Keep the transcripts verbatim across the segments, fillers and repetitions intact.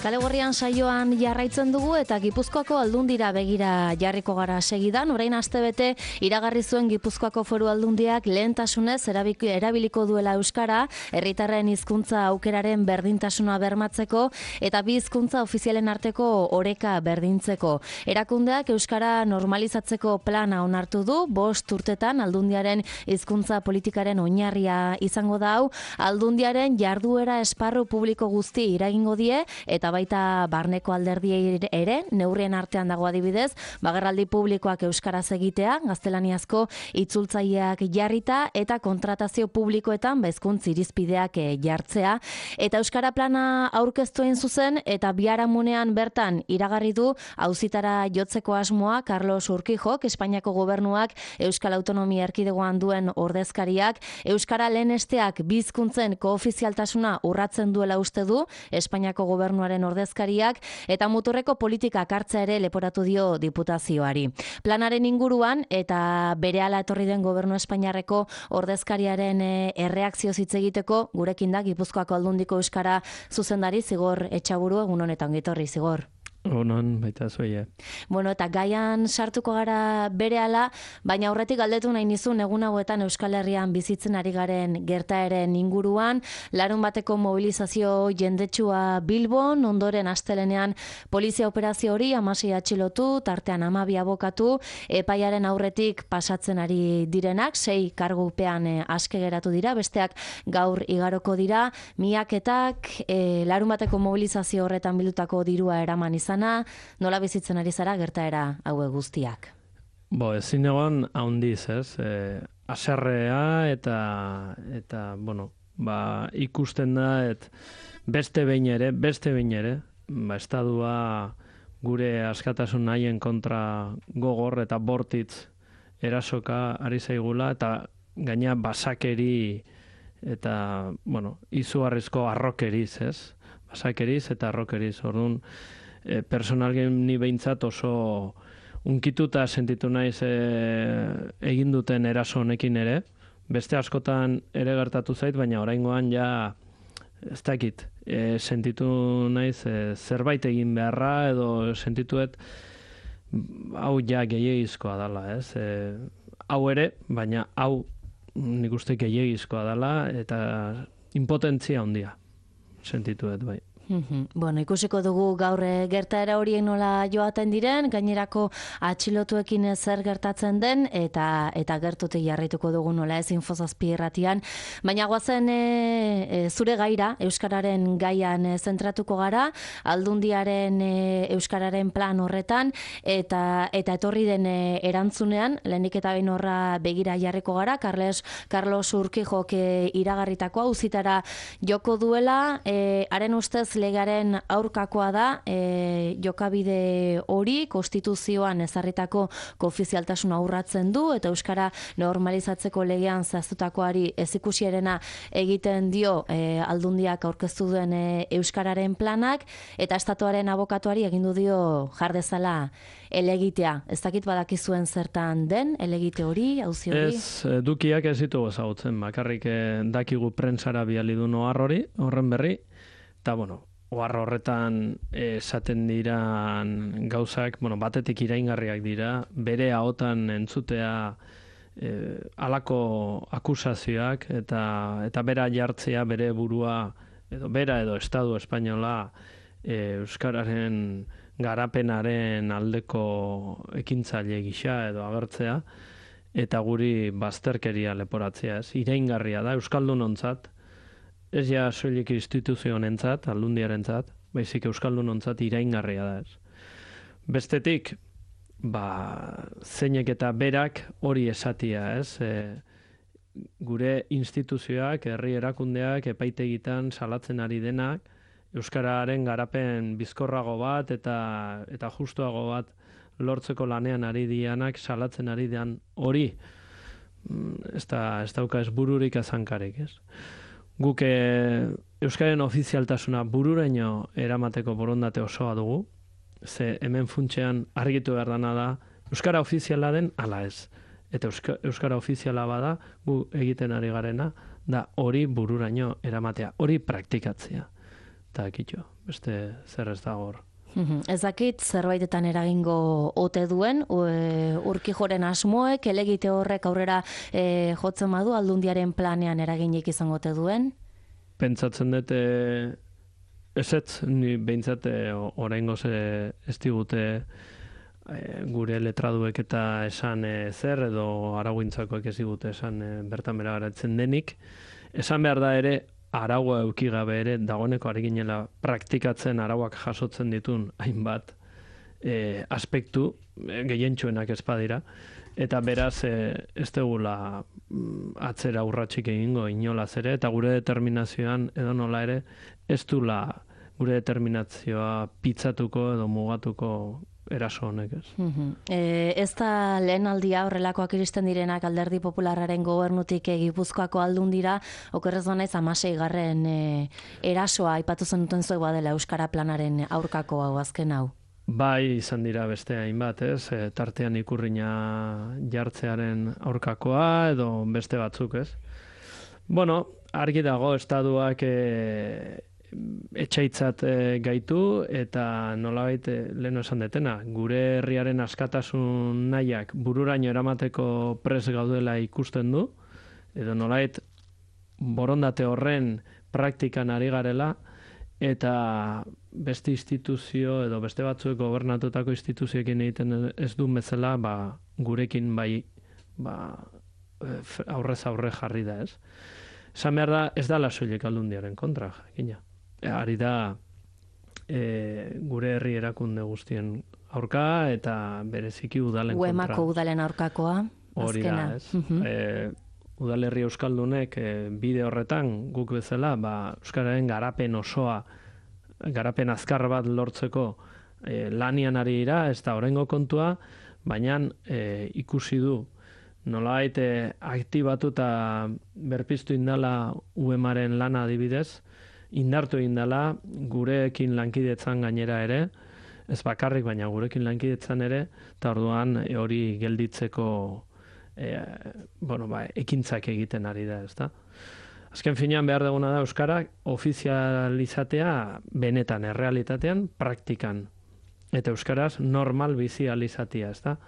Kale Gorrian saioan jarraitzen dugu eta Gipuzkoako Aldundira begira jarriko gara segidan. Orain astebete iragarri zuen Gipuzkoako Foru Aldundiak lehentasunez erabiliko duela euskara, herritarren hizkuntza aukeraren berdintasuna bermatzeko eta bi hizkuntza ofizialen arteko oreka berdintzeko. Erakundeak euskara normalizatzeko plana onartu du, bost urtetan Aldundiaren hizkuntza politikaren oinarria izango da hau. Aldundiaren jarduera esparru publiko guzti iragingo die eta baita barneko alderdiei ere, neurrien artean dago adibidez, bagerraldi publikoak euskaraz egitea, gaztelaniazko itzultzaileak jarrita eta kontratazio publikoetan hizkuntz irizpideak jartzea. Eta euskara plana aurkeztu egin zuzen eta biharamunean bertan iragarri du auzitara jotzeko asmoa Carlos Urquijok, Espainiako gobernuak Euskal Autonomia Erkidegoan duen ordezkariak, euskara lehenesteak bi hizkuntzen koofizialtasuna urratzen duela uste du Espainiako gobernuaren ordezkariak eta muturreko politikak hartzea ere leporatu dio diputazioari. Planaren inguruan eta berehala etorri den gobernu espainiarreko ordezkariaren erreakzio hitz egiteko gurekin da Gipuzkoako Aldundiko euskara zuzendari Zigor Etxaburu. Egun honetan gitorri, Zigor. Honon, baita zuia. Bueno, eta gaian sartuko gara berehala, baina aurretik galdetu nahi nizun egun hauetan Euskal Herrian bizitzen ari garen gertaeren inguruan, larun bateko mobilizazio jendetsua Bilbon, ondoren astelenean polizia operazio hori hamasei atxilotu, tartean hamabi abokatu, epaiaren aurretik pasatzen ari direnak, sei kargupean e, aske geratu dira, besteak gaur igaroko dira, miaketak, e, larun bateko mobilizazio horretan bildutako dirua eraman izan. Nola bizitzen ari zara gertaera haue guztiak? Bo, ezin egon haundiz, ez? E, aserrea eta, eta, bueno, ba, ikusten da, et beste behin ere, beste behin ere, ba, estadua gure askatasun nahien kontra gogor eta bortitz erasoka ari zaigula, eta gaina basakeri eta, bueno, izugarrizko arrokeriz, ez? Basakeriz eta arrokeriz, orduan, E, personalgen ni behintzat oso unkituta sentitu naiz e, egin duten eraso honekin ere. Beste askotan ere gertatu zait, baina oraingoan ja ez dakit, e, sentitu naiz e, zerbait egin beharra edo sentituet hau ja gehiagizkoa dela, ez? E, hau ere, baina hau nik uste gehiagizkoa dela eta impotentzia handia sentituet bai. Bueno, ikusiko dugu gaur gertaera horiek nola joaten diren, gainerako atxilotuekin zer gertatzen den, eta eta gertutik jarraituko dugu nola ez Infozazpi irratian. Baina goazen e, e, zure gaira, euskararen gaian e, zentratuko gara, Aldundiaren e, euskararen plan horretan, eta eta etorri den e, erantzunean, lehenik eta behin horra begira jarriko gara, Carles, Carlos Urquijok e, iragarritako auzitara joko duela, e, haren ustez legaren aurkakoa da, e, jokabide hori konstituzioan ezarritako koofizialtasuna urratzen du eta euskara normalizatzeko legean zehaztutakoari ezikusierena egiten dio e, Aldundiak aurkeztu duen e, euskararen planak eta estatuaren abokatuari egindu dio jar dezala elegitea. Ez dakit badakizuen zertan den elegite hori, auzi hori? Ez, dukiak ez ditugu ezagutzen, bakarrik dakigu prentsara bidali du ohar hori, horren berri. Eta, bueno, ohar horretan esaten diran gauzak, bueno, batetik iraingarriak dira, bere ahotan entzutea e, halako akusazioak eta eta bera jartzea bere burua, edo bera edo Estatu Espainola e, euskararen garapenaren aldeko ekintzaile gisa edo agertzea, eta guri bazterkeria leporatzea, ez? Iraingarria da, euskaldunontzat, ez ja soilik instituzionentzat, Aldundiarentzat, baizik euskaldunontzat iraingarria da, ez. Bestetik, ba, zeinek eta berak hori esatia, ez? E, gure instituzioak, herri erakundeak, epaitegitan salatzen ari denak, euskararen garapen bizkorrago bat eta eta justuago bat lortzeko lanean ari dianak salatzen ari dian hori, ez da, ez dauka ez bururik azankarek, ez? Guk e, euskaren ofizialtasuna bururaino eramateko borondate osoa dugu, ze hemen funtsean argitu behar dana da, euskara ofiziala den ala ez. Eta euska, euskara ofiziala bada, gu egiten ari garena, da hori bururaino eramatea, hori praktikatzea. Eta kitxo, beste zer ez dago hor. Ez dakit zerbaitetan eragingo ote duen, Urkijoren asmoek, elegite horrek aurrera e, jotzen badu Aldundiaren planean eraginik izango ote duen? Pentsatzen dut ezetz, ni behintzat oraingoz ez digute e, gure letraduek eta esan e, zer edo arauintzakoek ez digute esan e, bertan bera garatzen denik. Esan behar da ere, araua eukigabe ere, dagoeneko ari ginela praktikatzen arauak jasotzen ditun hainbat e, aspektu, e, gehientsuenak ez badira, eta beraz e, ez dugula atzera urratxik egingo inolaz ere, eta gure determinazioan edo nola ere, ez dula gure determinazioa pitzatuko edo mugatuko eraso honek, ez. Uh-huh. E, ez da lehen aldia horrelakoak iristen direnak Alderdi Popularraren gobernutik e, Gipuzkoako Aldundira, okerrez banaiz hamasei garren e, erasoa aipatu zenuten zuek badela Euskara Planaren aurkako hau azken hau. Bai, izan dira beste hainbat, ez, e, tartean ikurrina jartzearen aurkakoa edo beste batzuk, ez. Bueno, argi dago estaduak e, etxaitzat e, gaitu eta nolabait e, leheno esan detena, gure herriaren askatasun nahiak bururaino eramateko pres gaudela ikusten du, edo nolabait borondate horren praktikan ari garela, eta beste instituzio edo beste batzuek gobernatutako instituzioekin egiten ez du bezala, ba, gurekin bai ba, aurrez aurre jarri da, ez? Esan behar da, ez da soilik Aldundiaren kontra, jakina. Ari da e, gure herri erakunde guztien aurka eta bereziki udalen kontra. Uemako udalen aurkakoa, hori da, ez? Uh-huh. e, Udalerri Euskaldunek e, bide horretan guk bezala, ba, Euskararen garapen osoa, garapen azkar bat lortzeko e, lanian ari dira, ez da oraingo kontua, baina e, ikusi du nolabait e, aktibatu eta berpiztu indala U E M-aren lana adibidez, indartu indala gurekin lankidetzan gainera ere, ez bakarrik baina gurekin lankidetzan ere, eta orduan e, hori gelditzeko e, bueno, ba, ekintzak egiten ari da, ezta? Azken finean behar duguna da Euskara ofizializatea benetan, errealitatean, praktikan. Eta Euskaraz normal bizi alizatia, ezta?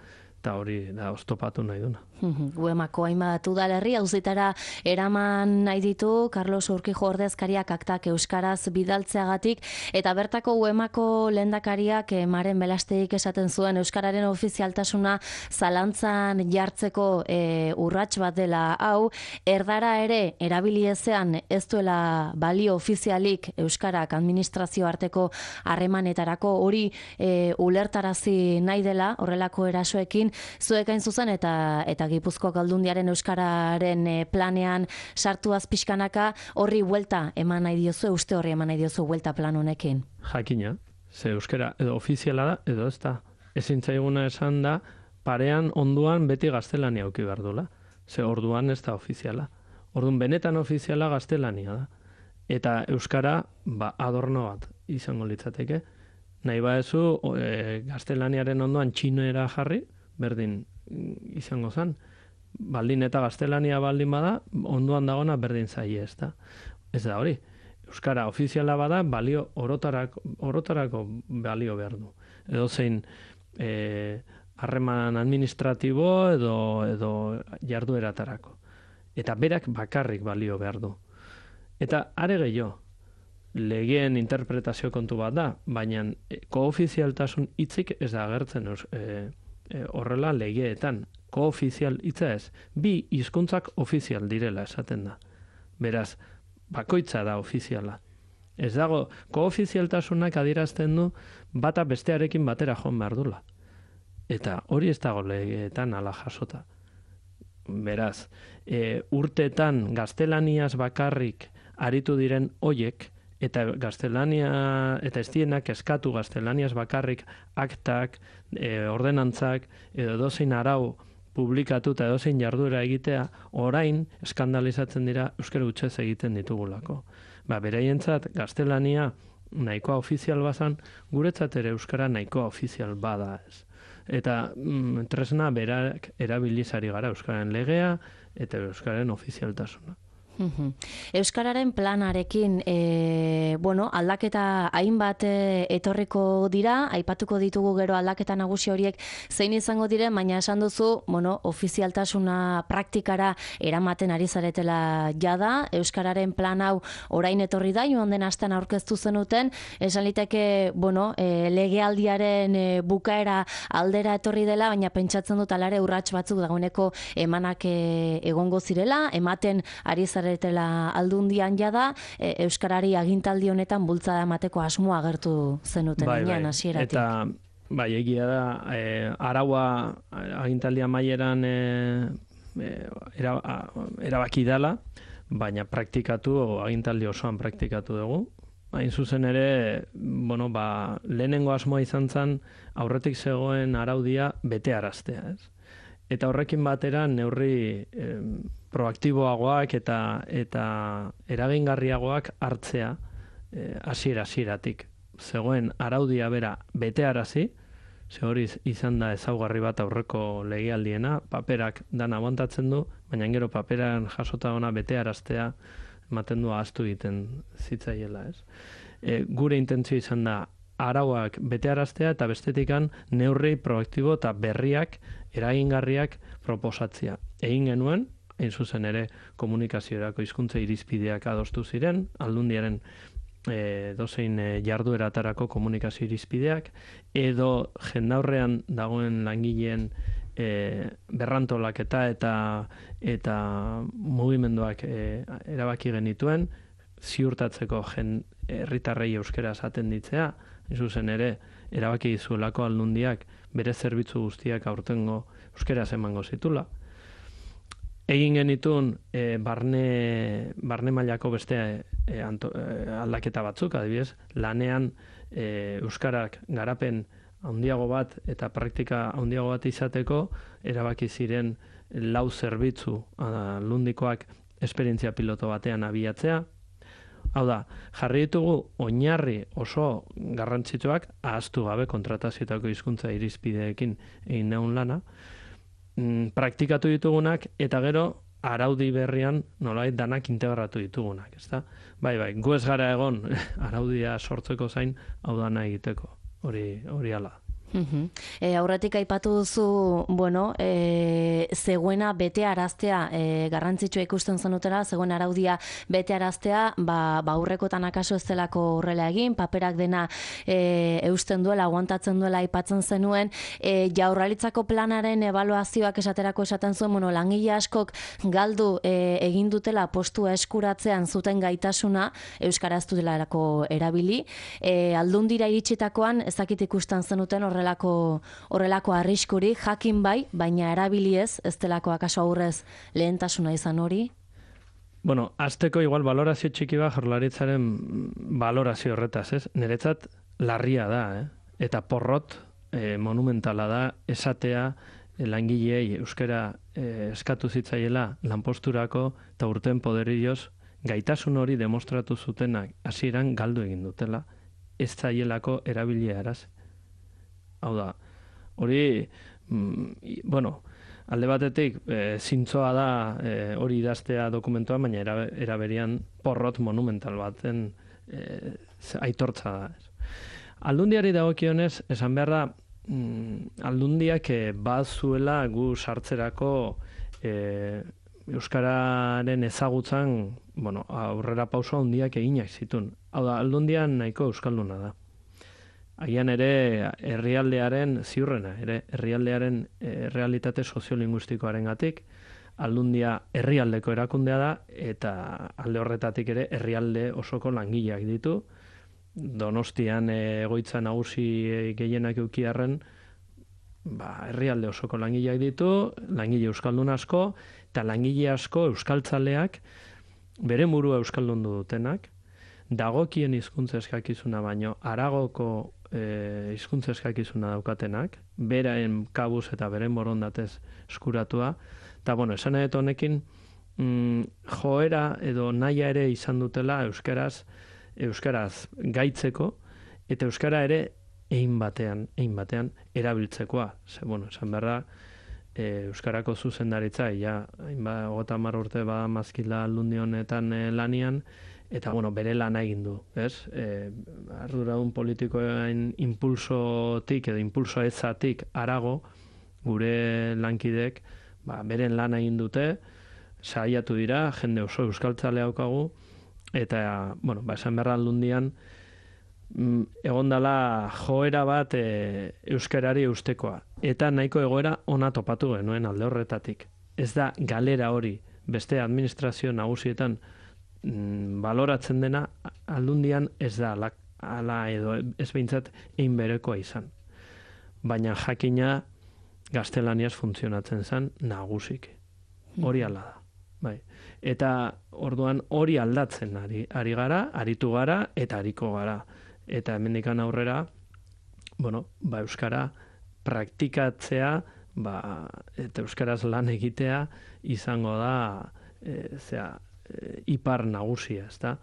Eta hori da oztopatu nahi duna. Uemako hainbat udalerri auzitara eraman nahi ditu Carlos Urkijo ordezkariak aktak euskaraz bidaltzeagatik, eta bertako Uemako lehendakariak Maren Belasteik esaten zuen euskararen ofizialtasuna zalantzan jartzeko e, urrats bat dela hau, erdara ere erabili ezean ez duela balio ofizialik euskarak administrazio arteko harremanetarako, hori e, ulertarazi nahi dela horrelako erasoekin, zuek hain zuzen eta eta Gipuzkoako Aldundiaren euskararen planean sartuaz pixkanaka horri buelta eman nahi diozu, uste horri eman nahi diozu buelta plan honekin. Jakina, ze euskara edo ofiziala da edo ez da. Ezin zaiguna esan da parean onduan beti gaztelania auki behar dula. Ze orduan ez da ofiziala. Orduan benetan ofiziala gaztelania da. Eta euskara ba, adorno bat izango litzateke. Nahi baezu e, gaztelaniaren ondoan txinoera jarri, berdin izango zen. Baldin eta gaztelania baldin bada, ondoan dagona berdin zaie, ez da. Ez da hori. Euskara ofiziala bada, balio orotarako, orotarako balio behar du. Edo zein harreman administratibo edo, edo jardueratarako. Eta berak bakarrik balio behar du. Eta are gehiago, legeen interpretazio kontu bat da, baina koofizialtasun hitzik ez da agertzen e, e, horrela legeetan. Koofizial hitza ez, bi hizkuntzak ofizial direla esaten da. Beraz, bakoitza da ofiziala. Ez dago, koofizialtasunak adierazten du bata bestearekin batera joan behar dula. Eta hori ez dago legeetan ala jasota. Beraz, e, urteetan gaztelaniaz bakarrik aritu diren hoiek, eta gaztelania, eta ez dienak eskatu gaztelaniaz bakarrik aktak, e, ordenantzak, edo dozein arau publikatu eta edozein jarduera egitea, orain eskandalizatzen dira euskara hutsez egiten ditugulako. Ba, beraientzat gaztelania nahikoa ofizial bazan, guretzat ere euskara nahikoa ofizial bada ez. Eta mm, tresna berak erabilizari gara euskararen legea eta euskararen ofizialtasuna. Euskararen planarekin e, bueno, aldaketa hainbat e, etorriko dira, aipatuko ditugu gero aldaketa nagusi horiek zein izango diren, baina esan duzu, bueno, ofizialtasuna praktikara eramaten ari zaretela jada, Euskararen plan hau orain etorri da, joan den astean aurkeztu zenuten, esan liteke, bueno, e, legealdiaren e, bukaera aldera etorri dela, baina pentsatzen dut alare urrats batzuk dagoeneko emanak e, egongo zirela, ematen ari zaretela aldundian jada, e, Euskarari agintaldi honetan bultzada emateko asmoa agertu zenuten bai, enean bai. hasieratik. Eta bai, egia da, e, araua agintaldia maieran e, e, era, erabaki dela, baina praktikatu, agintaldi osoan praktikatu dugu. Hain zuzen ere, bueno, ba, lehenengo asmoa izan zen aurretik zegoen araudia betearaztea, ez? Eta horrekin batera neurri eh, proaktiboagoak eta eta eragingarriagoak hartzea hasiera eh, hasieratik. Zegoen araudia bera betearazi, ze hori izan da ezaugarri bat aurreko legealdiena, paperak dana aguantatzen du, baina gero paperan jasota ona betearaztea ematen du ahaztu egiten zitzaiela, ez? E, gure intentzio izan da arauak betearaztea eta bestetikan neurri proaktibo eta berriak, eragingarriak proposatzea. Egin genuen, hain zuzen ere komunikaziorako hizkuntza irizpideak adostu ziren, aldundiaren e, dozein e, jardueratarako komunikazio irizpideak, edo jendaurrean dagoen langileen e, berrantolaketa eta eta mugimenduak e, erabaki genituen, ziurtatzeko jen herritarrei euskera esaten ditzea, hain zuzen ere erabaki dizuelako aldundiak bere zerbitzu guztiak aurtengo euskeraz emango zitula. Egin genitun e, barne, barne mailako beste e, anto, e, aldaketa batzuk, adibidez, lanean e, euskarak garapen handiago bat eta praktika handiago bat izateko erabaki ziren lau zerbitzu aldundikoak esperientzia piloto batean abiatzea. Hau da, jarri ditugu oinarri oso garrantzitsuak ahaztu gabe kontratazioetako hizkuntza irizpideekin egin neun lana, mm, praktikatu ditugunak eta gero araudi berrian nolabait danak integratu ditugunak, ezta? Bai, bai, gu ez gara egon araudia sortzeko zain hau dana egiteko, hori hori hala. Uh-huh. E, aurretik aipatu duzu, bueno, e, zegoena bete araztea, e, garrantzitsua ikusten zenutela, zegoen araudia bete araztea, ba, ba aurrekotan akaso ez delako horrela egin, paperak dena e, eusten duela, aguantatzen duela aipatzen zenuen, e, Jaurlaritzako planaren ebaluazioak esaterako esaten zuen, bueno, langile askok galdu e, egin dutela postua eskuratzean zuten gaitasuna, euskaraz dutelarako erabili, e, aldundira iritsitakoan ezakit ikusten zenuten horrela Horrelako, horrelako arriskuri, jakin bai, baina erabiliez, ez delako akaso aurrez lehentasuna izan hori? Bueno, azteko igual valorazio txiki bat Jaurlaritzaren valorazio horretaz, ez? Niretzat larria da, eh? Eta porrot eh, monumentala da esatea eh, langilei euskara eh, eskatu zitzaiela lanposturako eta urten poderioz gaitasun hori demostratu zutenak hasieran galdu egin dutela, ez zaielako erabilia eraz. Hau da, hori, mm, bueno, alde batetik, e, zintzoa da e, hori idaztea dokumentua, baina era, eraberian porrot monumental baten e, aitortza da. Aldundiari dagokionez, esan behar da, mm, aldundiak e, bazuela gu sartzerako e, euskararen ezagutzan, bueno, aurrera pauso handiak eginak zitun. Hau da, aldundian nahiko euskalduna da. Agian ere herrialdearen ziurrena, ere herrialdearen e, realitate soziolinguistikoaren gatik, aldundia herrialdeko erakundea da, eta alde horretatik ere herrialde osoko langileak ditu. Donostian e, egoitza nagusi gehienak eukiarren, ba, herrialde osoko langileak ditu, langile euskaldun asko, eta langile asko euskaltzaleak bere burua euskaldundu dutenak, dagokien hizkuntza eskakizuna baino haragoko e, hizkuntza eskakizuna daukatenak, beraen kabuz eta beren borondatez eskuratua, eta bueno, esan edo honekin mm, joera edo naia ere izan dutela euskaraz, euskaraz gaitzeko, eta euskara ere egin batean, egin batean erabiltzekoa. Ze, bueno, esan behar da, e, Euskarako zuzendaritza, ja, hainba, hogeta hamar urte ba mazkila aldundi honetan e, lanian, eta, bueno, bere lana egin du, ez? E, arduradun politikoen impulsotik edo impulso ezatik arago, gure lankidek, ba, beren lana egin dute, saiatu dira, jende oso euskaltzale daukagu, eta, bueno, ba, esan berra aldundian, egon dela joera bat e, euskarari eustekoa. Eta nahiko egoera ona topatu genuen alde horretatik. Ez da galera hori beste administrazio nagusietan mm, baloratzen dena aldundian ez da ala, ala edo ez behintzat egin berekoa izan. Baina jakina gaztelaniaz funtzionatzen zen nagusik. Hori ala da. Bai. Eta orduan hori aldatzen ari, ari gara, aritu gara eta ariko gara. Eta hemendikan aurrera, bueno, ba, euskara praktikatzea, ba, eta euskaraz lan egitea izango da e, zera, e, ipar nagusia, ezta?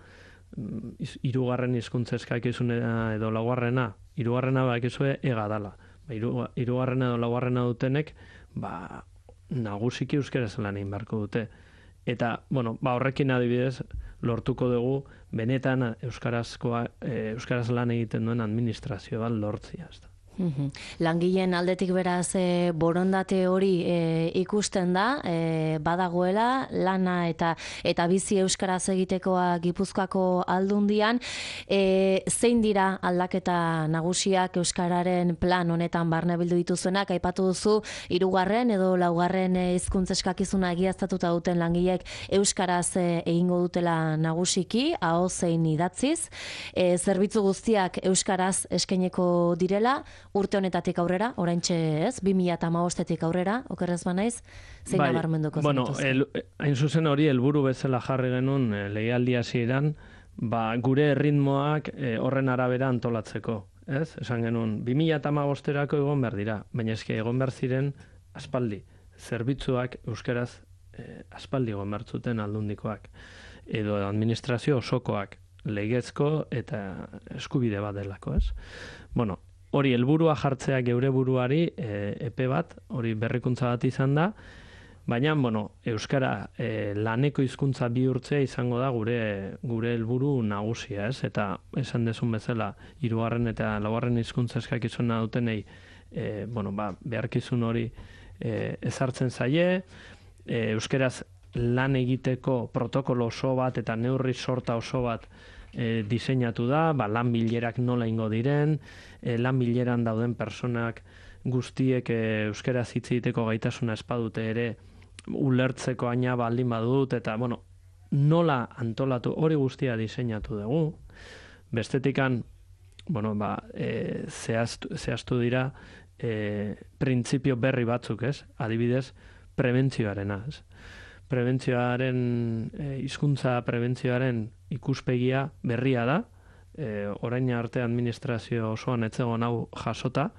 Hirugarren hizkuntza eskakizunera edo laugarrena, hirugarrena bakizue ega dala. Ba, hirugarrena edo laugarrena dutenek, ba, nagusiki euskaraz lan egin beharko dute. Eta, bueno, ba, horrekin adibidez, lortuko dugu, benetan euskarazkoa, e, euskaraz lan egiten duen administrazio bat lortzia. Langileen aldetik beraz e, borondate hori e, ikusten da, e, badagoela, lana eta eta bizi euskaraz egitekoa Gipuzkoako aldundian, e, zein dira aldaketa nagusiak euskararen plan honetan barne bildu dituzuenak, aipatu duzu hirugarren edo laugarren hizkuntza eskakizuna egiaztatuta duten langileek euskaraz e, egingo dutela nagusiki, aho zein idatziz, e, zerbitzu guztiak euskaraz eskaineko direla, urte honetatik aurrera, oraintxe ez, bi mila hamabostetik aurrera, okerrez banaiz, zein bai, nabarmenduko bueno, zenituzten? hain zuzen hori helburu bezala jarri genuen e, legealdi hasieran, ba, gure erritmoak e, horren arabera antolatzeko. Ez? Esan genuen, bi mila hamabosterako egon behar dira, baina eske egon behar ziren aspaldi. Zerbitzuak euskaraz e, aspaldi egon behar zuten aldundikoak. Edo administrazio osokoak, legezko eta eskubide bat delako, ez? Bueno, hori helburua jartzea geure buruari e, epe bat, hori berrikuntza bat izan da, baina, bueno, euskara e, laneko hizkuntza bihurtzea izango da gure gure helburu nagusia, ez? Eta esan dezun bezala, hirugarren eta laugarren hizkuntza eskakizuna dutenei, e, bueno, ba, beharkizun hori e, ezartzen zaie, e, euskaraz lan egiteko protokolo oso bat eta neurri sorta oso bat E, diseinatu da, ba, lan bilerak nola ingo diren, e, lan bileran dauden personak guztiek e, euskaraz hitz egiteko gaitasuna espadute ere ulertzeko aina baldin badut, eta, bueno, nola antolatu hori guztia diseinatu dugu. Bestetikan, bueno, ba, e, zehaztu, zehaztu dira e, printzipio berri batzuk, ez? Adibidez, prebentzioarena, ez? Prebentzioaren, e, hizkuntza prebentzioaren ikuspegia berria da, e, orain arte administrazio osoan etzegon hau jasota,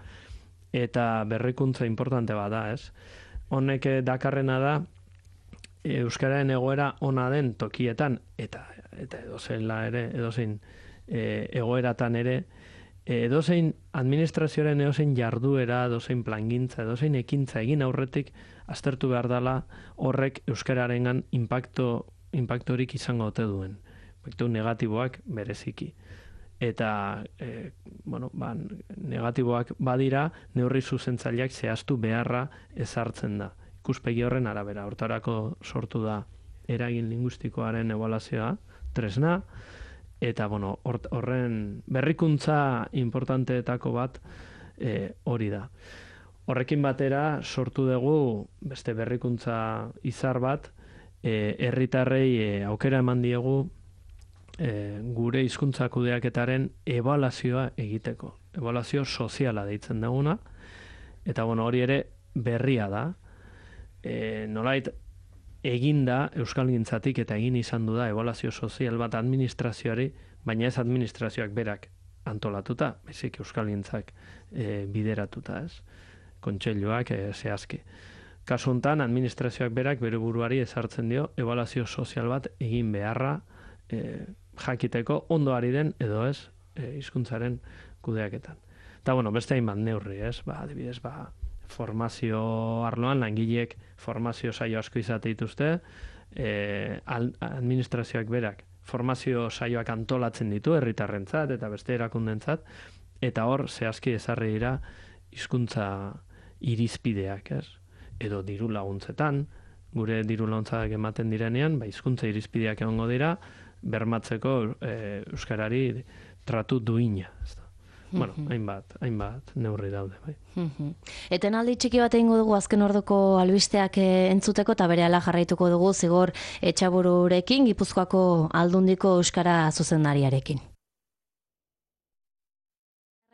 eta berrikuntza importante bada, ez? Honek dakarrena da, e, euskararen egoera ona den tokietan, eta eta edozein ere, edozein e, egoeratan ere, e, edozein administrazioaren edozein jarduera, edozein plangintza, edozein ekintza egin aurretik, aztertu behar dela horrek euskararengan impacto, impactorik izango ote duen. Impacto negatiboak bereziki. Eta, e, bueno, ba, negatiboak badira, neurri zuzentzaileak zehaztu beharra ezartzen da. Ikuspegi horren arabera, hortarako sortu da eragin linguistikoaren ebaluazioa, tresna, eta, bueno, horren berrikuntza importanteetako bat e, hori da. Horrekin batera sortu dugu beste berrikuntza izar bat, e, herritarrei e, aukera eman diegu e, gure hizkuntza kudeaketaren ebaluazioa egiteko. Ebaluazio soziala deitzen duguna, eta bueno, hori ere berria da. E, nolait eginda euskalgintzatik eta egin izan du da ebaluazio sozial bat administrazioari, baina ez administrazioak berak antolatuta, baizik euskalgintzak e, bideratuta, ez? Kontseiluak e, zehazki. Kasu honetan, administrazioak berak bere buruari ezartzen dio ebaluazio sozial bat egin beharra e, jakiteko ondo ari den edo ez e, hizkuntzaren kudeaketan. Eta, bueno, beste hainbat neurri, ez? Ba, adibidez, ba, formazio arloan, langileek formazio saio asko izate dituzte, e, administrazioak berak formazio saioak antolatzen ditu herritarrentzat eta beste erakundentzat, eta hor zehazki ezarri dira hizkuntza irizpideak, ez? Edo diru laguntzetan, gure diru laguntzak ematen direnean, ba, hizkuntza irizpideak egongo dira, bermatzeko e, euskarari tratu duina, ez da. Bueno, hainbat, hainbat neurri daude, bai. Etenaldi txiki bat egingo dugu azken orduko albisteak entzuteko, eta berehala jarraituko dugu Zigor Etxabururekin, Gipuzkoako Aldundiko euskara zuzendariarekin.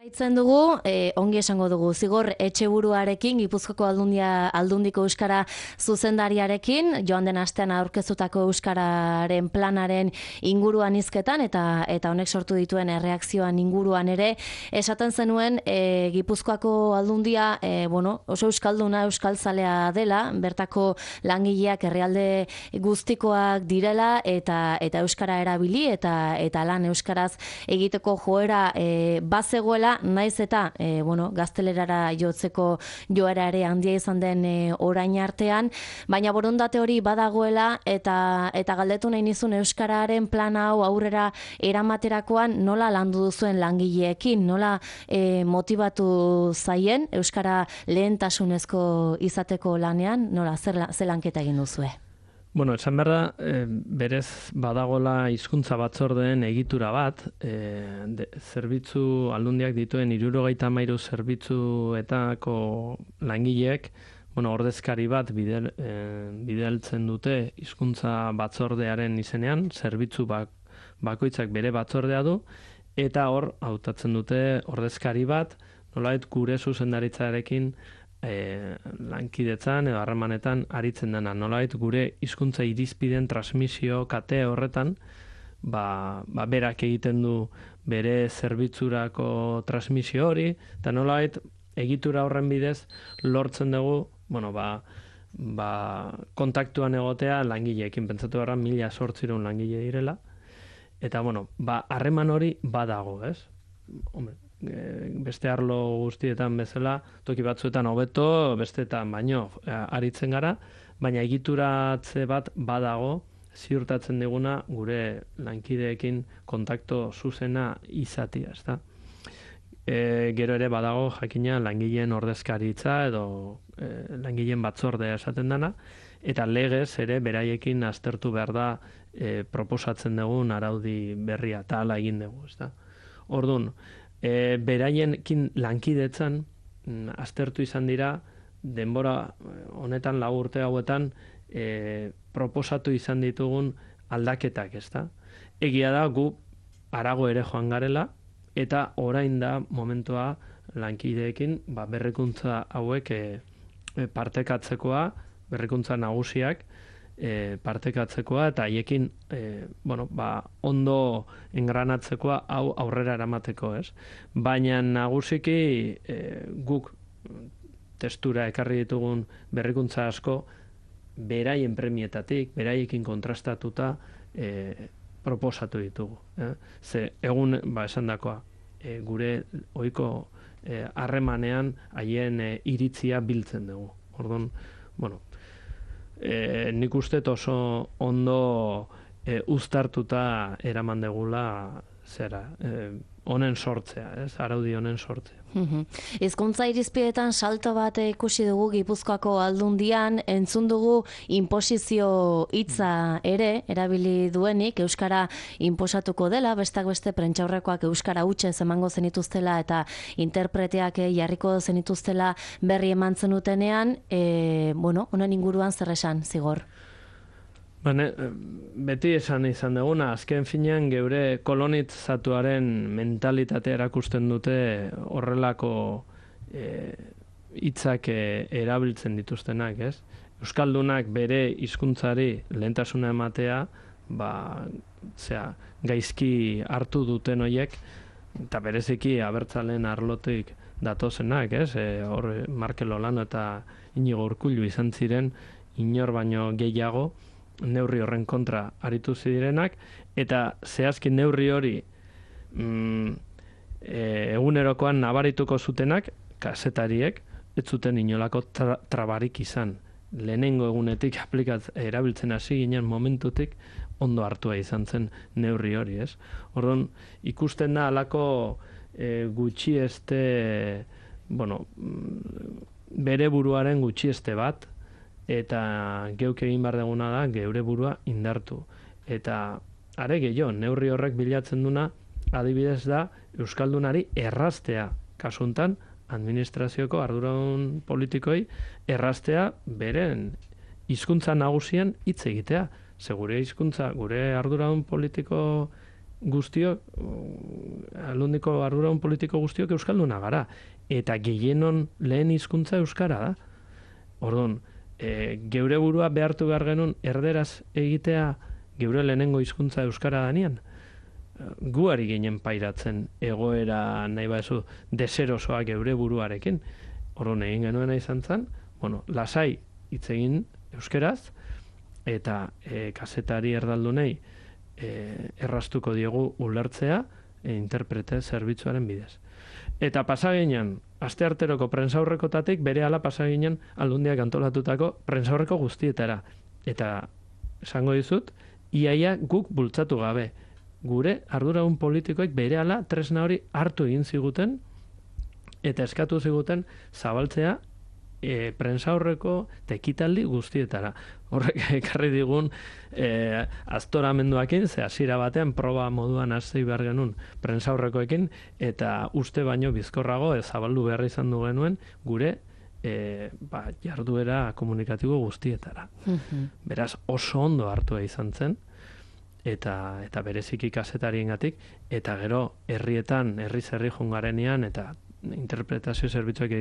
Jarraitzen dugu, eh, ongi esango dugu, Zigor Etxeburuarekin, Gipuzkoako Aldundia, Aldundiko euskara zuzendariarekin, joan den astean aurkeztutako euskararen planaren inguruan hizketan eta eta honek sortu dituen erreakzioan inguruan ere, esaten zenuen eh, Gipuzkoako Aldundia eh, bueno, oso euskalduna, euskaltzalea dela, bertako langileak herrialde guztikoak direla eta eta euskara erabili eta eta lan euskaraz egiteko joera eh, bazegoela, naiz eta e, bueno, gaztelerara jotzeko joera ere handia izan den e, orain artean, baina borondate hori badagoela eta eta galdetu nahi nizun euskararen plana hau aurrera eramaterakoan nola landu duzuen langileekin, nola e, motibatu zaien euskara lehentasunezko izateko lanean, nola zer, zer lanketa egin duzue? Bueno, esan behar da, e, berez badagola hizkuntza batzordeen egitura bat, e, de, zerbitzu aldundiak dituen hirurogeita hamairu zerbitzuetako langileek, bueno, ordezkari bat bidel, e, bideltzen dute hizkuntza batzordearen izenean, zerbitzu bak, bakoitzak bere batzordea du, eta hor hautatzen dute ordezkari bat, nolabait gure zuzendaritzarekin E, lankidetzan edo harremanetan aritzen dena. Nolabait gure hizkuntza irizpideen transmisio kate horretan, ba, ba berak egiten du bere zerbitzurako transmisio hori, eta nolabait egitura horren bidez lortzen dugu, bueno, ba, ba kontaktuan egotea langileekin, pentsatu gara mila sortzireun langile direla, eta bueno, ba harreman hori badago, ez? Hombre, beste arlo guztietan bezala, toki batzuetan hobeto, besteetan baino aritzen gara, baina egituratze bat badago, ziurtatzen diguna gure lankideekin kontakto zuzena izatia, ezta? E, gero ere badago jakina langileen ordezkaritza edo e, langileen batzordea esaten dana, eta legez ere beraiekin aztertu behar da e, proposatzen dugun araudi berria, eta hala egin dugu, ezta? Orduan, E, beraiekin lankidetzan m, aztertu izan dira denbora honetan lau urte hauetan e, proposatu izan ditugun aldaketak, ezta? Egia da gu harago ere joan garela eta orain da momentua lankideekin ba, berrikuntza hauek e, e, partekatzekoa, berrikuntza nagusiak E, partekatzekoa eta haiekin e, bueno, ba, ondo engranatzekoa hau aurrera eramateko, ez? Baina nagusiki e, guk testura ekarri ditugun berrikuntza asko beraien premietatik, beraiekin kontrastatuta e, proposatu ditugu. Eh? Ze egun ba, esandakoa e, gure ohiko harremanean e, haien e, iritzia biltzen dugu. Orduan, bueno, E, nik uste oso ondo e, uztartuta eraman degula zera, e, honen sortzea, ez? Araudi honen sortzea. Hizkuntza irizpidetan salto bat ikusi dugu Gipuzkoako Aldundian, entzun dugu inposizio hitza ere erabili duenik, euskara inposatuko dela, bestak beste prentsaurrekoak euskara hutsa emango zenituztela eta interpreteak jarriko zenituztela berri eman zenutenean, e, bueno, honen inguruan zer esan, Zigor? Bane, beti esan izan duguna, azken finean geure kolonitzatuaren mentalitatea erakusten dute horrelako hitzak e, erabiltzen dituztenak, ez? Euskaldunak bere hizkuntzari lehentasuna ematea, ba, zera, gaizki hartu duten hoiek, eta bereziki abertzalen arlotik datozenak, ez? E, hor Markel Olano eta Inigo Urkullu izan ziren, inor baino gehiago, neurri horren kontra aritu zirenak, eta zehazki neurri hori mm, e, egunerokoan nabarituko zutenak, kazetariek, ez zuten inolako tra trabarik izan. Lehenengo egunetik aplikat erabiltzen hasi ginen momentutik ondo hartua izan zen neurri hori, ez? Orduan, ikusten da alako e, gutxieste, bueno, bere buruaren gutxieste bat, eta geuk egin behar duguna da geure burua indartu. Eta are gehiago, neurri horrek bilatzen duna, adibidez da, euskaldunari erraztea, kasuntan, administrazioko arduradun politikoi erraztea beren hizkuntza nagusien hitz egitea. Ze gure hizkuntza, gure arduradun politiko guztiok, aldundiko arduradun politiko guztiok euskalduna gara. Eta gehienon lehen hizkuntza euskara da. Orduan, e, geure burua behartu behar genuen erderaz egitea geure lehenengo hizkuntza euskara danean. Guari ginen pairatzen egoera nahi baezu deserosoa geure buruarekin. Orduan egin genuena izan zen, bueno, lasai hitz egin euskeraz, eta e, kazetari erdaldunei e, erraztuko diegu ulertzea e, interprete zerbitzuaren bidez. Eta pasaginan, astearteroko prentsaurrekotatik berehala pasaginan aldundiak antolatutako prentsaurreko guztietara. Eta esango dizut, iaia guk bultzatu gabe. Gure arduradun politikoek berehala tresna hori hartu egin ziguten eta eskatu ziguten zabaltzea e, prentsaurreko tekitaldi guztietara. Horrek ekarri digun e, aztoramenduakin, ze hasiera batean proba moduan hasi behar genuen prentsaurrekoekin, eta uste baino bizkorrago ez zabaldu behar izan du genuen gure e, ba, jarduera komunikatibo guztietara. Mm-hmm. Beraz, oso ondo hartua izan zen, eta eta bereziki kazetariengatik, eta gero herrietan, herriz herri jungarenean, eta interpretazio zerbitzuak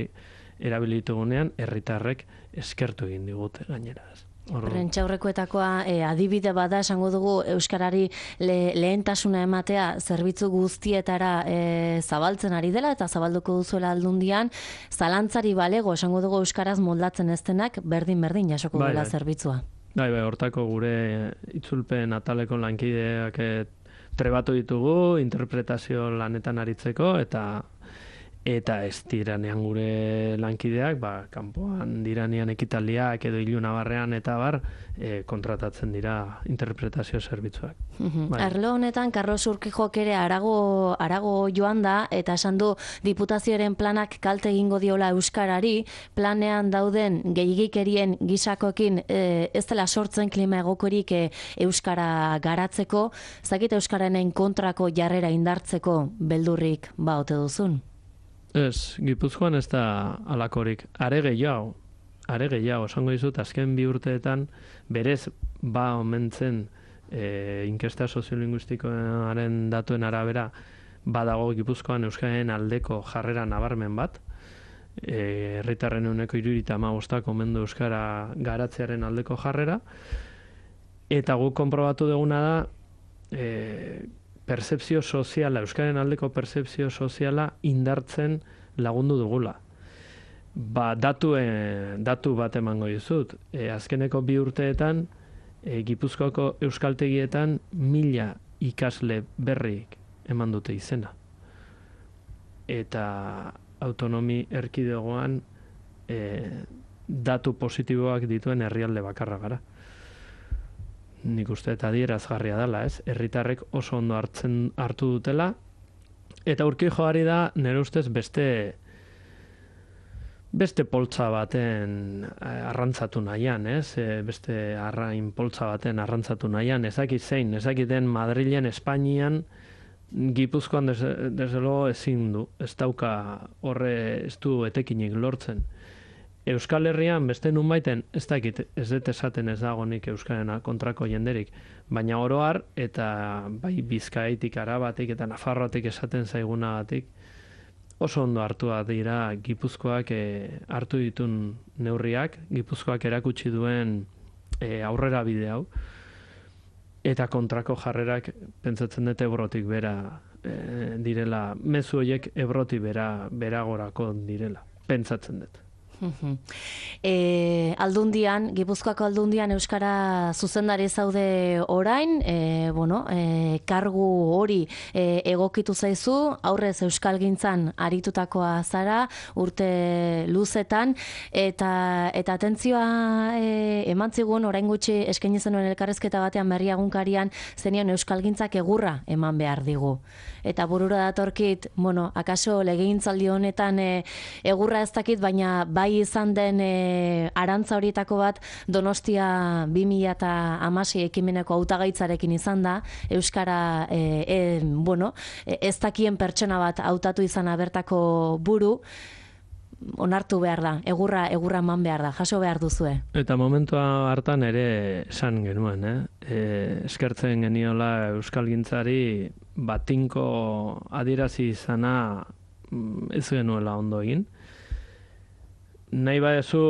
erabilitugunean, herritarrek eskertu egin digute gainera. Prentsaurrekoetakoa e, adibide bada esango dugu euskarari le, lehentasuna ematea zerbitzu guztietara e, zabaltzen ari dela eta zabalduko duzuela aldundian, zalantzari balego esango dugu euskaraz moldatzen ez denak berdin-berdin jasoko bai, dela bai. zerbitzua. Bai, bai, hortako gure itzulpen ataleko lankideak trebatu ditugu, interpretazio lanetan aritzeko, eta eta ez diranean gure lankideak, ba, kanpoan diranean ekitaldiak edo ilunabarrean eta bar, e, kontratatzen dira interpretazio zerbitzuak. Mm-hmm. Bai. Arlo honetan, Carlos Urquijok ere arago, arago joan da, eta esan du diputazioaren planak kalte egingo diola euskarari, planean dauden gehigikerien gisakokin e, ez dela sortzen klima egokorik e, euskara garatzeko, zakit euskararen kontrako jarrera indartzeko beldurrik ba ote duzun? Ez, Gipuzkoan ez da alakorik. Are gehiago, are gehiago, esango dizut, azken bi urteetan berez ba omentzen e, inkesta soziolinguistikoaren datuen arabera badago Gipuzkoan euskaren aldeko jarrera nabarmen bat. E, herritarren ehuneko hirurogeita hamabostak omendu euskara garatzearen aldeko jarrera. Eta guk konprobatu duguna da e, percepzio soziala, euskaren aldeko percepzio soziala indartzen lagundu dugula. Ba, datu, e, datu bat emango dizut. E, azkeneko bi urteetan, e, Gipuzkoako euskaltegietan mila ikasle berrik eman dute izena. Eta autonomi erkidegoan e, datu positiboak dituen herrialde bakarra gara. Nik uste eta adierazgarria dela, ez? Herritarrek oso ondo hartzen hartu dutela, eta Urquijoari da, nire ustez, beste beste poltsa baten arrantzatu nahian, ez? Beste arrain poltsa baten arrantzatu nahian, ezakit zein, ezakiten Madrilen, Espainian, Gipuzkoan desde luego ezin du, ez dauka horre ez du etekinik lortzen. Euskal Herrian beste nunbaiten ez dakit, ez dut esaten ez dagonik euskaren kontrako jenderik, baina oro har eta bai Bizkaitik, Arabatik eta Nafarroatik esaten zaigunagatik oso ondo hartua dira Gipuzkoak e, hartu ditun neurriak, Gipuzkoak erakutsi duen e, aurrera bide hau, eta kontrako jarrerak pentsatzen dut Ebrotik bera e, direla, mezu horiek Ebrotik bera beragorako direla, pentsatzen dut. E, aldundian, Gipuzkoako aldundian euskara zuzendari zaude orain, e, bueno, e, kargu hori e, egokitu zaizu, aurrez euskalgintzan aritutakoa zara, urte luzetan, eta eta atentzioa e, eman zigun, orain gutxi eskaini zenuen elkarrezketa batean berriagunkarian, zenion euskalgintzak egurra eman behar digu. Eta burura datorkit, bueno, akaso legegintzaldi honetan e, egurra ez dakit, baina bai izan den e, arantza horietako bat Donostia bi mila hamasei ekimeneko hautagaitzarekin izan da, euskara e, e, bueno, ez dakien pertsona bat hautatu izan bertako buru, onartu behar da, egurra egurra eman behar da, jaso behar duzue. Eta momentua hartan ere esan genuen, eh? E, eskertzen geniola euskalgintzari batinko adierazi izana ez genuela ondo egin. Nahi badezu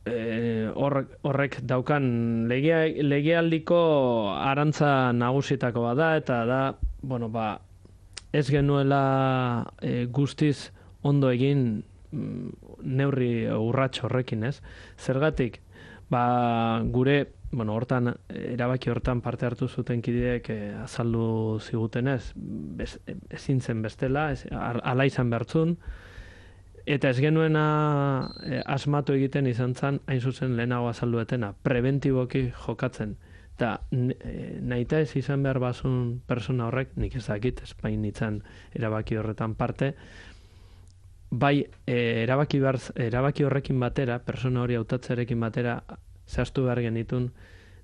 e, horrek, horrek daukan legea, legealdiko arantza nagusitako bada, eta da, bueno, ba, ez genuela e, guztiz ondo egin neurri urrats horrekin, ez? Zergatik, ba, gure, bueno, hortan, erabaki hortan parte hartu zuten kideek eh, azaldu zigutenez, bez, ezin zen bestela, ez, ala izan behartzun, eta ez genuena eh, asmatu egiten izan zen, hain zuzen lehenago azalduetena, preventiboki jokatzen. Eta eh, nahita ez izan behar bazun persona horrek, nik ez dakit, espain nintzen erabaki horretan parte, bai, e, erabaki, bar, erabaki horrekin batera, persona hori hautatzearekin batera, zehaztu behar genitun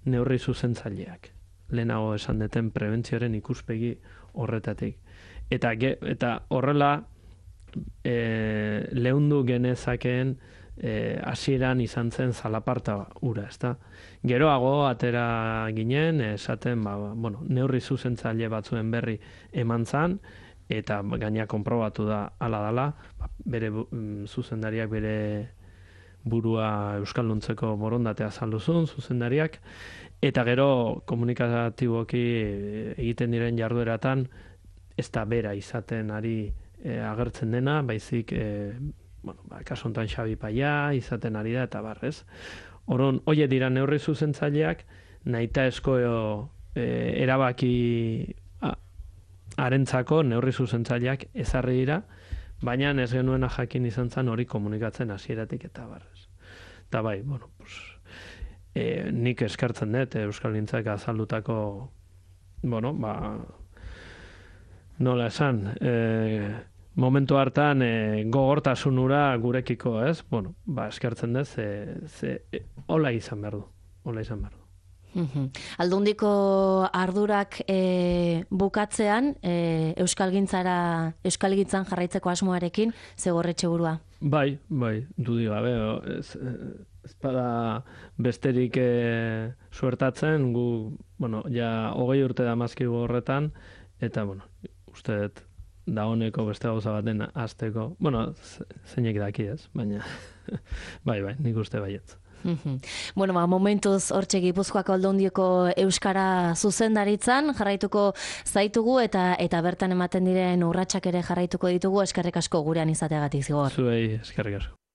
neurri zuzentzaileak. Lehenago esan deten prebentzioaren ikuspegi horretatik. Eta, ge, eta horrela e, lehundu genezakeen e, hasieran izan zen zalaparta ura, ezta? Geroago atera ginen, esaten, ba, bueno, neurri zuzentzaile batzuen berri eman zan, eta gaina konprobatu da hala dala, bere zuzendariak bere burua euskalduntzeko borondatea azalduzun, zuzendariak, eta gero komunikatiboki egiten diren jardueratan ez da bera izaten ari e, agertzen dena, baizik, e, bueno, ba, kasu honetan Xabi Paia izaten ari da, eta barrez. Orduan, hoe dira neurri zuzentzaileak, nahita esko e, erabaki harentzako neurri zuzentzaileak ezarri dira, baina ez genuena jakin izan zen hori komunikatzen hasieratik eta barrez. Eta bai, bueno, pues, e, nik eskertzen dut euskalgintzak azaldutako, bueno, ba, nola esan, e, momentu hartan e, gogortasunura gurekiko, ez? Bueno, ba, eskertzen dut, ze, ze e, hola izan behar du, hola izan behar du. Aldundiko ardurak e, bukatzean, e, euskalgintzara, euskalgintzan jarraitzeko asmoarekin, zegorretxe burua? Bai, bai, dudi gabe, ez, ez bada besterik e, suertatzen, gu, bueno, ja, hogei urte damazkigu horretan, eta, bueno, uste dut, da honeko beste gauza baten azteko, bueno, zeinek daki ez, baina, bai, bai, nik uste baietz. Bueno, ba, momentuz hortxe Gipuzkoako aldundioko euskara zuzendaritzan jarraituko zaitugu eta eta bertan ematen diren urratsak ere jarraituko ditugu, eskerrik asko gurean izateagatik zigor. Zuei, eskerrik asko.